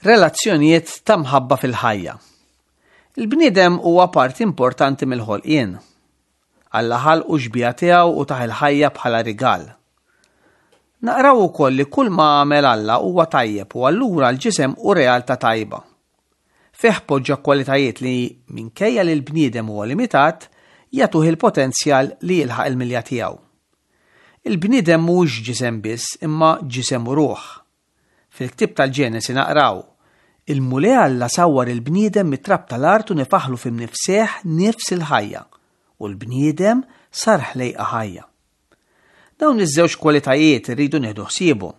Relazzjonijiet ta' mħabba fil-ħajja. Il-bniedem huwa parti importanti mill-ħolqien. Alla ħalqu xbieha tiegħu u tah il-ħajja bħala rigal. Naqraw ukoll li kull ma għamel Alla huwa tajjeb u allura l-ġisem hu realtà tajba. Fih poġġa kwalitajiet li, minkejja li l-bniedem huwa limitat, jagħtuh il-potenzjal li jilħaq il-milja tiegħu. Il-bniedem mhuwiex ġisem biss imma ġisem u ruħ. Fil-ktieb tal-Ġenesi naqraw, Il-Mulej Alla sawwar il-bniedem mit-trab tal-art u nefaħlu fi mnifsejh nifs il-ħajja, u l-bniedem sar ħlejqa ħajja. Dawn iż-żewġ kwalitajiet irridu nieħdu ħsiebhom.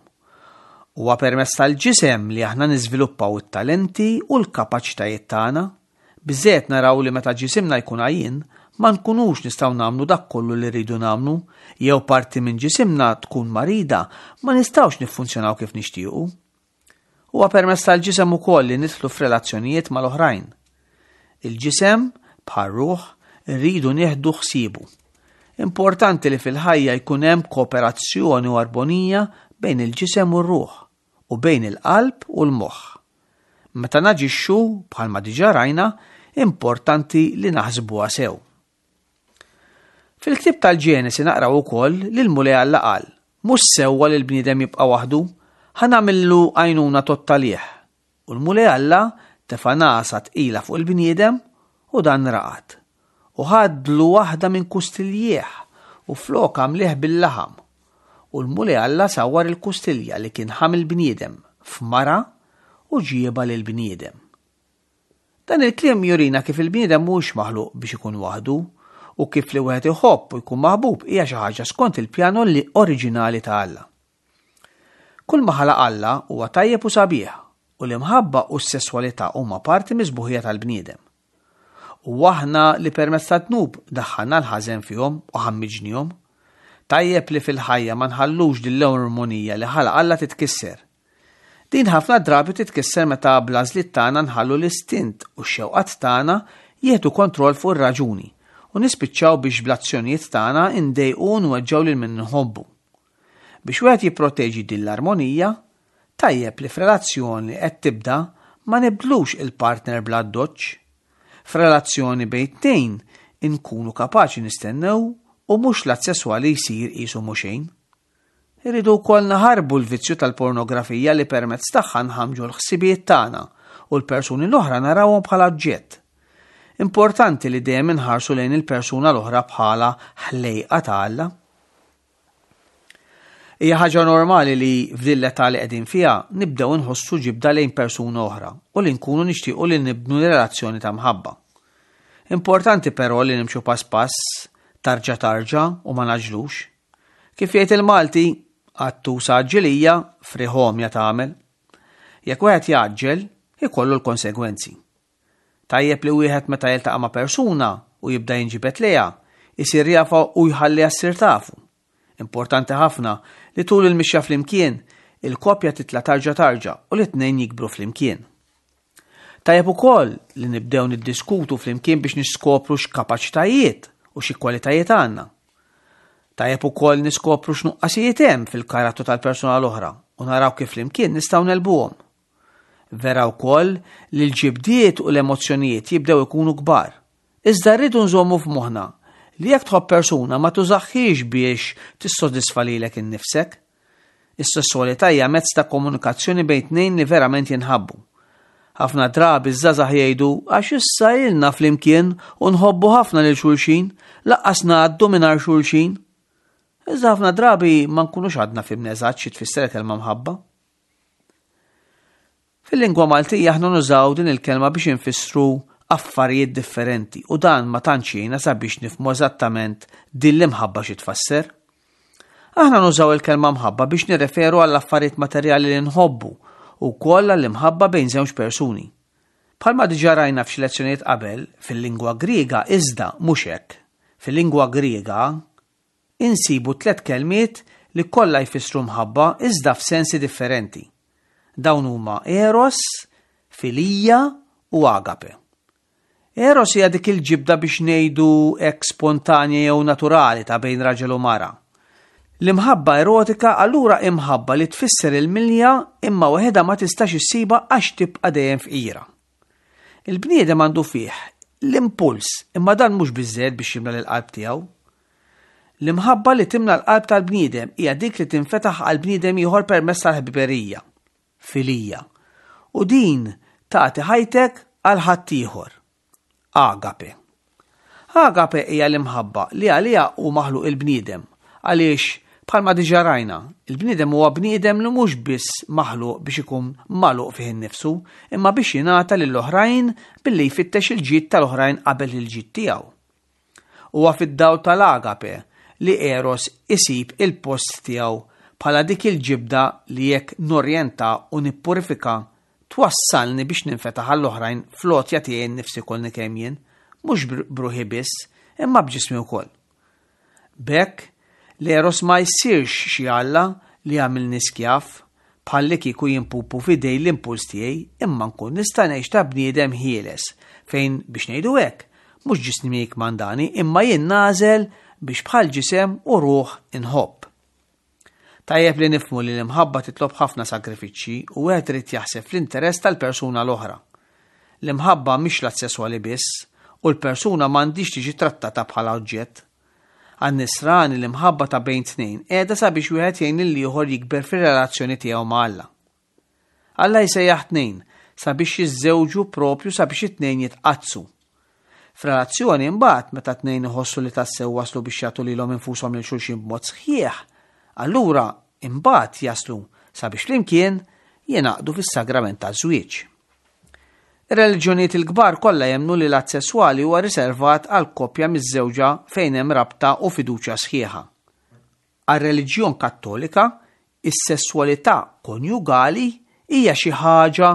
Huwa permezz tal-ġisem li aħna niżviluppaw it-talenti u l-kapaċitajiet tagħna. Biżżejjed naraw li meta ġisimna jkun għajjien, ma nkunux nistgħu nagħmlu dak kollu li rridu nagħmlu, jew parti minn ġisimna tkun marida, ma nistgħux niffunzjonaw kif nixtiequ. Huwa permezz tal-ġisem ukoll li nidħlu f'relazzjonijiet mal-oħrajn. Il-ġisem, bħar-ruħ, irridu nieħdu ħsiebu. Importanti li fil-ħajja jkun hemm kooperazzjoni u arbonija bejn il-ġisem u r-ruħ u bejn il-qalb u l-moħħ. Meta naġixxu, bħalma diġà rajna, importanti li naħsbuha sew. Fil-ktieb tal-Ġenesi naqraw ukoll li l-Mulej Alla qal, Mhux sewwa li l-bniedem jibqa' waħdu, ħa nagħmillu għajnuna tgħodd għalih. U l-Mulej Alla tefa' nagħsa tqila fuq il-bniedem u dan raqad. U ħadlu waħda minn kustiljieh u flokha mlieh bil-laħam. U l-Mulej Alla sawwar il-kustilja li kien ħa mill-bniedem f'mara u ġiebha lill-bniedem. Dan il-kliem jurina kif il-bniedem mhuwiex maħluq biex ikun waħdu u kif li wieħed iħobb u jkun maħbub hija xi ħaġa skont il-pjan oriġinali ta' Alla. Kull ma ħalaq Alla huwa tajjeb u sabiħ u l-imħabba u s-sesswalità huma parti mis-sbuħija tal-bniedem. U aħna li permezz tad-dnub daħħalna l-ħażen fihom u ħammiġnihom. Tajjeb li fil-ħajja ma nħallux din l-armonija li ħalaq Alla titkisser. Din ħafna drabi titkisser meta bl-għażliet tagħna nħallu l-istint u x-xewqat tagħna jieħdu kontroll fuq ir-raġuni u nispiċċaw biex bl-azzjonijiet tagħna ndejqu u nweġġgħu lil min nħobbu. Biex wieħed jipproteġi din l-armonija, tajjeb li f'relazzjoni li qed tibda ma nibdlux il-partner bl-addoċċ. F'relazzjoni bejn tnejn inkunu kapaċi nistennew u mhux l-att sesswali jsir qisu mhu xejn. Irridu wkoll naħarbu l-vizzju tal-pornografija li permezz tagħha nħammġu l-ħsibijiet tagħna u l-persuni l-oħra narawhom bħala oġġett. Importanti li dejjem inħarsu lejn il-persuna l-oħra bħala ħlejqa ta' Alla. Hija ħaġa normali li f'din l-età li qegħdin fiha nibdew inħossu ġibda lejn persuna oħra u li nkunu nixtiequ li nibnu relazzjoni ta' mħabba. Importanti però li nimxu pass pass, tarġa tarġa u ma naġlux. Kif jgħid il-Malti, qattus għaġġilija, frieħ għomja tagħmel. Jekk wieħed jgħaġġel, ikollu l-konsegwenzi. Tajjeb li wieħed meta jiltaqa' ma' persuna u jibda jinġibed lejha, isir jafha u jħalliha ssir tafu. Importanti ħafna li tul il-mixja flimkien, il-koppja titla' tarġa tarġa u li t-tnejn jikbru flimkien. Tajjeb ukoll li nibdew niddiskutu flimkien biex niskopru x'kapaċitajiet u xi kwalitajiet għandna. Tajjeb ukoll niskopru x'nuqqasijiet hemm fil-karattru tal-persuna l-oħra u naraw kif flimkien nistgħu negħlbuhom. Vera wkoll li l-ġibdiet u l-emozzjonijiet jibdew ikunu kbar. Iżda rridu nżommu f'moħħna li jekk tħobb persuna ma tużaħħiex biex tissodisfa lilek innifsek. Is-sesswalità hija mezz ta' komunikazzjoni bejn tnejn li verament jinħabbu. Ħafna drabi ż-żgħażagħ jgħidu għax issa ilna flimkien u nħobbu ħafna lil xulxin, laqqas ngħaddu mingħajr xulxin. Iżda ħafna drabi ma nkunux għadna fhimna eżatt xi tfisser il-kelma mħabba. Fil-lingwa Maltija aħna nużaw din il-kelma biex infissru affarijiet differenti u dan ma tantx jgħinna sabiex nifhmu eżattament din l-imħabba xi tfasser. Aħna nużaw il-kelma mħabba biex nirreferu għall affarijiet materjali li nħobbu u wkoll għall-imħabba bejn żewġ persuni. Bħalma diġà rajna f'xi lezzjonijiet qabel, fil-lingwa Griega iżda mhux hekk. Fil-lingwa Griega, insibu tlett kelmiet li kollha jfissru mħabba iżda f'sensi differenti. Dawn huma eros, filija u agape. Eros hija dik il-ġibda biex ngħidu hekk spontanja jew naturali ta' bejn raġel u mara. L-imħabba erotika allura imħabba li tfisser il-milja imma waħedha ma tistax issibha għax tibqa' dejjem fqira. Il-bniedem għandu fih l-impuls imma dan mhux biżżejjed biex jimla lill-qalb tiegħu. L-imħabba li timla l-qalb tal-bniedem hija dik li tinfetaħ għal bniedem ieħor permezz tal-ħbiberija, filija. U din tagħti ħajtek għal ħaddieħor. Agape. Agape hija l-imħabba li għaliha hu maħluq il-bniedem, għaliex, bħalma diġà rajna, il-bniedem huwa bniedem li mhux biss maħluq biex ikun magħluq fih innifsu, imma biex jingħata lill-oħrajn billi jfittex il-ġid tal-oħrajn qabel il-ġid tiegħu. Huwa fid-dawl tal-agape li eros isib il-post tiegħu bħala dik il-ġibda li jekk norjenta u nippurifika twassalni biex ninfetaħ għall-oħrajn fl-għotja tiegħi nnifsi kollni kemm jien, mhux b'ruħi biss, imma b'ġismi wkoll. B'hekk, l-eros ma jsirx xi alla li jagħmilni skjav, bħallikieku jien pupu f'idej l-impuls tiegħi, imma nkun nista' ngħix ta' bniedem ħieles, fejn, biex ngħidu hekk, mhux ġismi jikkmandani, imma jien nagħżel biex bħal ġisem u ruħ inħobb. Tajjeb li nifhmu li l-imħabba titlob ħafna sagrifiċċji u wieħed irid jaħseb fl-interess tal-persuna l-oħra. L-imħabba mhix l-att sesswali biss u l-persuna m'għandhiex tiġi trattata bħala oġġett. Għan-Nisrani l-imħabba ta' bejn tnejn qiegħda sabiex wieħed jgħin lill-ieħor jikber fir-relazzjoni tiegħu ma' Alla. Alla jsejjaħ tnejn sabiex jiżżewġu propju sabiex it-tnejn jitqaddsu. F'relazzjoni imbagħad meta tnejn iħossu li tassew waslu biex jagħtu lilhom infushom lil xulxin b'mod sħiħ, allura imbagħad jaslu sabiex flimkien jingħaqdu fis-sagrament taż-żwieġ. Ir-reliġjonijiet il-kbar kollha jemmnu li l-att sesswali huwa riservat għal koppja miżżewġa fejn hemm rabta u fiduċja sħiħa. Għar-reliġjon Kattolika, is-sesswalità konjugali hija xi ħaġa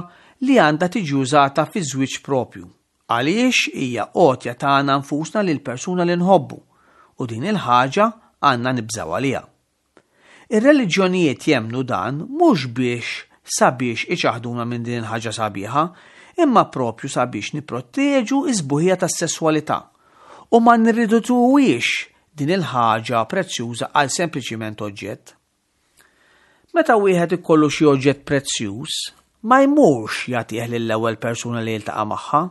li għandha tiġi użata fiż-żwieġ proprju, għaliex hija għotja tagħna nfusna lill-persuna li nħobbu, u din il-ħaġa għandna nibżgħu għaliha. Ir-reliġjonijiet jemmnu dan mhux biex sabiex iċaħħduna minn din il-ħaġa sabiħa, imma proprju sabiex nipproteġu s-sbuħija tas-sesswalità u ma nirridutuhiex din il-ħaġa prezzjuża għal sempliċiment oġġett. Meta wieħed ikollu xi oġġett prezzjuż, ma jmurx jagħtih lill-ewwel persuna li jiltaqa' magħha,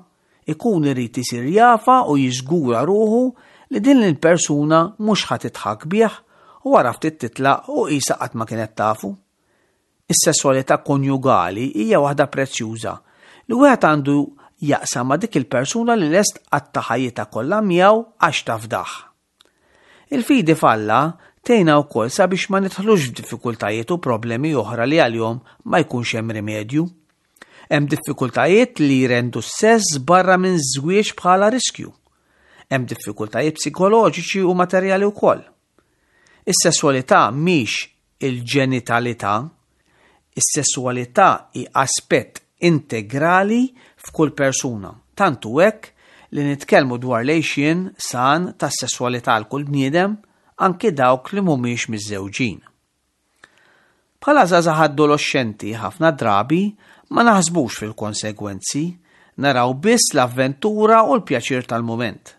ikun irid isir jafha u jiżgura ruħu li din il-persuna mhux ħa tidħak bih u wara ftit titlaq u qisha qatt ma kienet tafu. Is-sesswalità konjugali hija waħda prezzjuża li wieħed għandu jaqsam ma' dik il-persuna li lest tqatta' ħajjitha kollha miegħu għax tafdah. Il-fidi f'Alla tgħinna wkoll sabiex ma nidħlux f'diffikultajiet u problemi oħra li għalihom ma jkunx hemm rimedju. Hemm diffikultajiet li jrendu s-sess barra minn żwieġ bħala riskju. Hemm diffikultajiet psikoloġiċi u materjali wkoll. Is-sesswalità mhix il-ġenitalità. Is-sesswalità hi aspett integrali f'kull persuna, tant hu hekk li nitkellmu dwar l-għixien san tas-sesswalità għal kull bniedem, anki dawk li mhumiex miżżewġin. Bħala żgħażagħ adoloxxenti ħafna drabi ma naħsbux fil-konsegwenzi, naraw biss l-avventura u l-pjaċir tal-mument.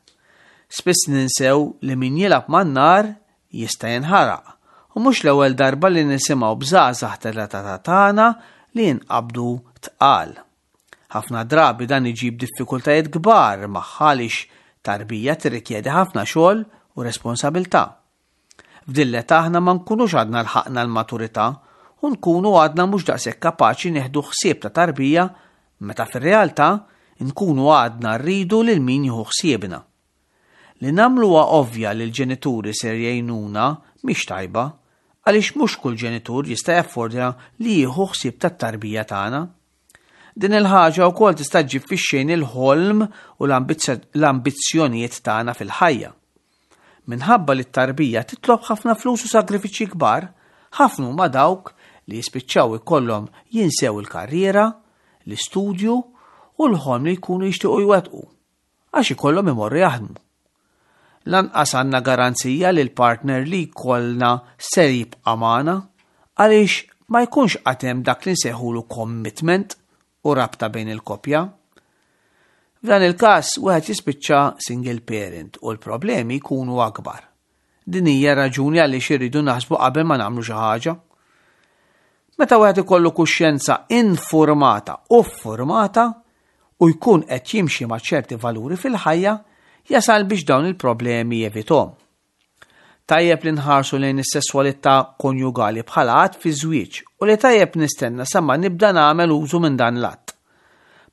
Spiss ninsew li min jilgħab man-nar jista' jinħaraq u mhux l-ewwel darba li nisimgħu b'żgħażagħ tal-età tagħna li jinqabdu tqal. Ħafna drabi dan iġib diffikultajiet kbar magħha għaliex tarbija tirrikjedi ħafna xogħol u responsabilità. F'din l-età aħna ma nkunux għadna lħaqna l-maturità u nkunu għadna mhux daqshekk kapaċi nieħdu ħsieb ta' tarbija meta fir-realtà nkunu għadna rridu lil min jieħu ħsiebna. Li nagħmluha ovvja li l-ġenituri ser jgħinuna mhix tajba, għaliex mhux kull ġenitur jista' jaffordja li jieħu ħsieb tat-tarbija tagħna. Din il-ħaġa wkoll tista' ġġib fix-xejn il-ħolm u l-ambizzjonijiet tagħna fil-ħajja. Minħabba li t-tarbija titlob ħafna flus u sagrifiċċji kbar, ħafna huma dawk li jispiċċaw ikollhom jinsew il-karriera, l-istudju u l-ħolm li jkunu jixtiequ jwettqu, għax ikollhom imorru jaħdmu. Lanqas għandna garanzija li l-partner li jkollna ser jibqa' magħna għaliex ma jkunx għad hemm dak li nsejħulu commitment u rabta bejn il-koppja. F'dan il-każ wieħed jispiċċa single parent u l-problemi jkunu akbar. Din hija raġuni għaliex irridu naħsbu qabel ma nagħmlu xi ħaġa. Meta wieħed ikollu kuxjenza infurmata u ffurmata u jkun qed jimxi ma' ċerti valuri fil-ħajja, jasal biex dawn il-problemi jevithom. Tajjeb li nħarsu lejn is-sesswalità konjugali bħala att fiż-żwieġ u li tajjeb nistenna sa ma nibda nagħmel użu minn dan l-att.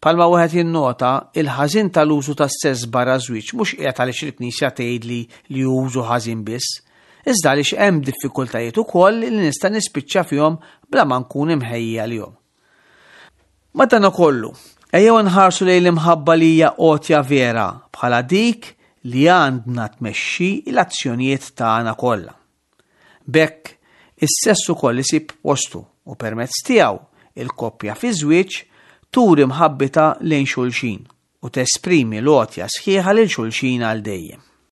Bħalma wieħed jinnota, il-ħażin tal-użu tas-sess barra ż-żwieġ mhux qiegħed għaliex il-Knisja tgħidli li hu użu ħażin biss, iżda għaliex hemm diffikultajiet ukoll li nista' nispiċċa fihom bla ma nkun imħejji għalihom. Madankollu, ejjew nħarsu lejn l-imħabba li hija għotja vera bħala dik li għandna tmexxi l-azzjonijiet tagħna kollha. B'hekk, is-sess ukoll isib postu u permezz tiegħu il-koppja fiż-żwieġ turi mħabbitha lejn xulxin u tesprimi l-għotja sħiħa lil xulxin għal dejjem.